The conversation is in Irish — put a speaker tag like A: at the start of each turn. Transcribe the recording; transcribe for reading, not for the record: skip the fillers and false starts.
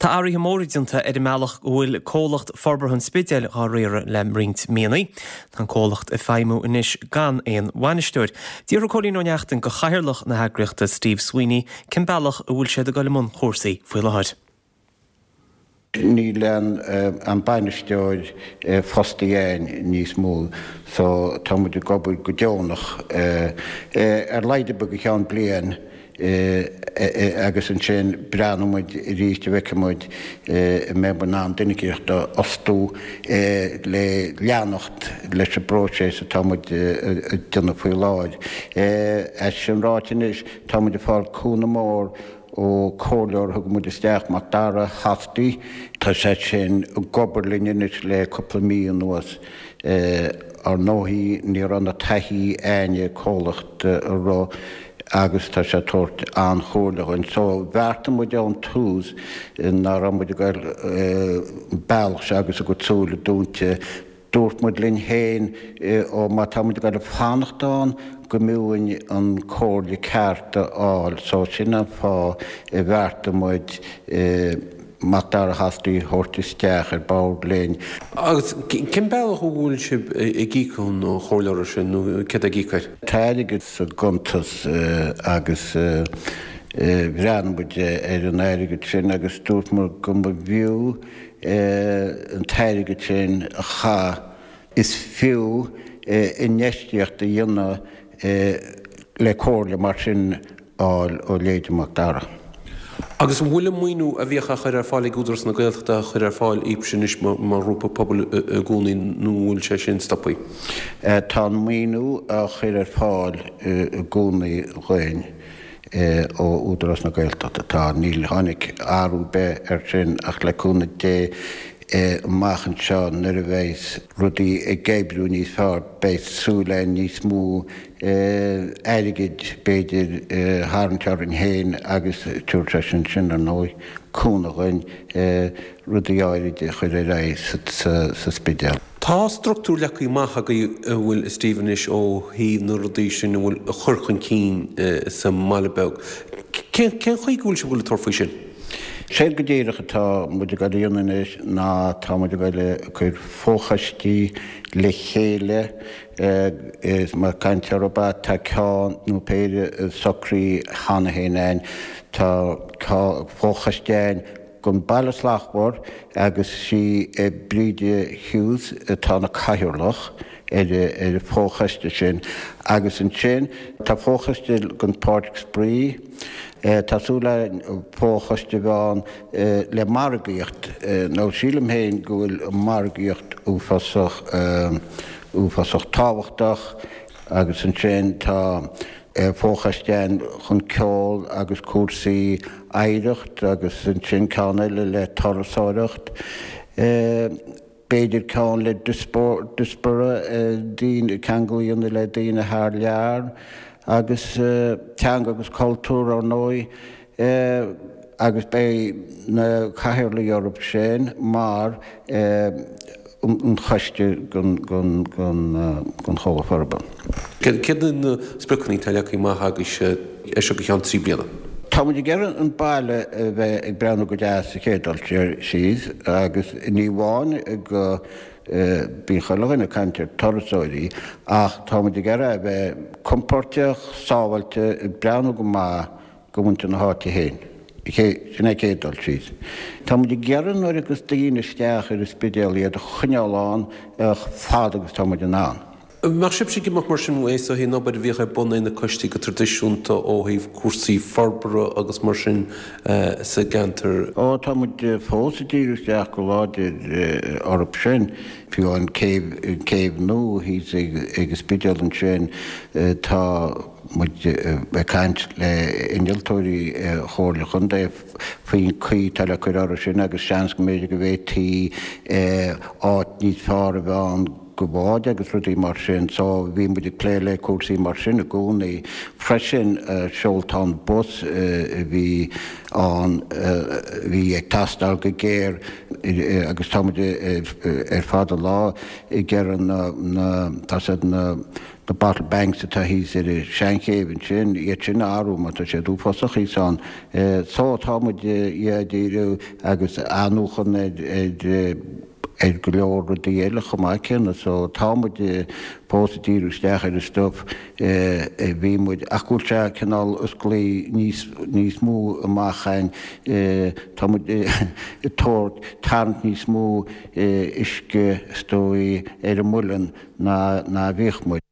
A: Tá athruithe móra déanta ar an mbealach go bhfuil Comhlacht Forbartha an Spidéil dhá riaradh le roinnt míonna. Tá an comhlacht ag feidhmiú anois gan aon bhainisteoir. D'fhiafraigh Cóilín Ó Neachtain de chathaoirleach na heagraíochta, Steve Sweeney, cén bealach a bhfuil siad ag dul i mbun chúrsaí faoi láthair.
B: Níl an bainisteoir fostaithe againn níos mó so tá muid ag obair go deonach ar laghad ar bith go ceann bliain agus ansin breathnóidh muid arís a bhfeicfidh muid an mbeidh muid in ann duine eicínt a fhostú le leanacht leis an bpróiseas atá muid ag déanamh faoi láthair. É sin ráite anois tá muid ag fáil cúnamh mór ó comhairleoir a thug muid isteach, Macdara Hosty. Tá sé sin ag obair linn anois le cúpla mí anuas. Ar ndóigh ní raibh na taithí a'inne comhlacht a rith agus tá sé ag tabhairt an-chomhairle dhuinn. So bheartaigh muid ón tús ná raibh muid ag goil an bealach seo agus a gcuid súile dúnta. Dúirt muid linn féin, ó má tá muid ag goil a fanacht ann, go mb'fhiú dhúinn an comhairle ceart a fháil. So sin an fáth a bheartaigh muid Macdara Hosty a thabhairt isteach ar bord linn.
C: Agus cén bealach a bhfuil sibh ag íoc an chomhairleora sin nó céard ag íoc air?
B: Tá airgead sa gcuntas agus bhreathnaigh muid ar an airgead sin agus dúirt muid go mb'fhiú an t-airgead sin a chaitheamh, is fiú infheistíocht a dhéanamh le comhairle mar sin a fháil ó leithéide Macdara.
C: Agus an bhfuil an maoiniú a bhíodh á chur ar fáil ag Údarás na Gaeltachta á chur ar fáil daoibhse anois mar ghrúpa pobail i gcónaí nó an bhfuil sé sin stoptha?
B: Tá an maoiniú á chur ar fáil i gcónaí dhuinn. ó Údarás na Gaeltachta. Tá, níl tháinig athrú ar bith air sin ach le cúnamh Dé amach anseo nuair a bheidh rudaí ag oibriú níos fearr beidh súil againn níos mó airgid b'fhéidir a tharraingt orainn féin agus tabharfaidh sé sin sin ar ndóigh cúnamh dhuinn rudaí áirid a chur ar aghaidh sa Spidéal.
C: Tá structúr leagtha amach agaibh a bhfuil a Steve anois ó thaobh na rudaí sin a bhfuil a chur chun cinn sa mbaile beag. Cén chaoi go bhfuil sibh ag dul ag tabhairt faoi sin?
B: Séard go díreach atá muid ag dul a dhéanamh anois ná tá muid ag dul ag cur fochoistí le chéile is mar caint ar ba tá ceann nó péire socraithe cheana féin a'inn. Tá fochoiste a'inn don Baile Slachtmhar agus sí Bríde Hughes atá ina cathaoirleach ar an bhfochoiste sin agus ansin tá fochoiste don Pháirc Spraoi, tá súil againn fochoiste a bheith ann le margaíocht nó sílim féin go bhfuil margaíocht uafásach uafásach tábhachtach agus ansin tá fochoiste ann chun ceol agus cúrsaí oidhreacht agus ansin ceann eile le turasóireacht, b'fhéidir ceann le diaspora, daoine, ceangal a dhéanamh le daoine thar lear agus teanga agus cultúr ar ndóigh agus beidh na cathaoirligh orthu sin mar an choiste don Chomhlacht Forbartha.
C: Céard iad na spriocanna atá leagtha amach agaibhse as seo go ceann 3 bliana?
B: Tá muid ag iarraidh an baile a bheith ag breathnú go deas sa chéad dul síos agus ní amháin go bíonn chuile dhuine ag caint ar turasóirí ach tá muid ag iarraidh a bheith compordach, sábháilte, ag breathnú go maith do mhuintir na háite féin. Sin é chéad dul síos. Tá muid ag iarraidh nuair a thigeas daoine isteach ar an Spidéal iad a choinneáil ann chomh fada agus tá muid in ann.
C: An mbeadh sibhse ag imeacht mar sin uaidh ó thaobh an obair a bhíodh ar bun ag na coistí go traidisiúnta ó thaobh cúrsaí forbartha agus mar sin sa gceantar?
B: Ó, tá muid fós ag díriú isteach go láidir orthu sin. Fiú an céibh, an céibh nua thíos ag an Spidéal ansin, tá muid ag caint le innealtóirí Chomhairle Chontae faoin chaoi atá le cur orthu sin agus seans go mb'fhéidir go bhféadfaí áit níos fearr a bheith ann do bháid agus rudaí mar sin. So bhí muid ag plé le cúrsaí mar sin i gcónaí. Freisin seoltán bus a bhí ann a bhí ag teastáil go géar. Agus tá muid ar fad an lá ag iarraidh na, na, tá siad na, na bottle banks atá thíos ar an Seanchéibh ansin, iad sin a athrú mar tá siad uafásach thíos ann. So tá muid, yeah, ag díriú agus athnuachan ar, ar, ar go leor rudaí eile chomh maith céanna. So tá muid fós ag díriú isteach ar an stuif a bhí muid ach go bhfuil sé cineál osclaí níos, níos mó amach a'inn. Tá muid ag tabhairt, tarraingt níos mó uisce is dóigh ar an muileann ná, ná a bhíodh muid.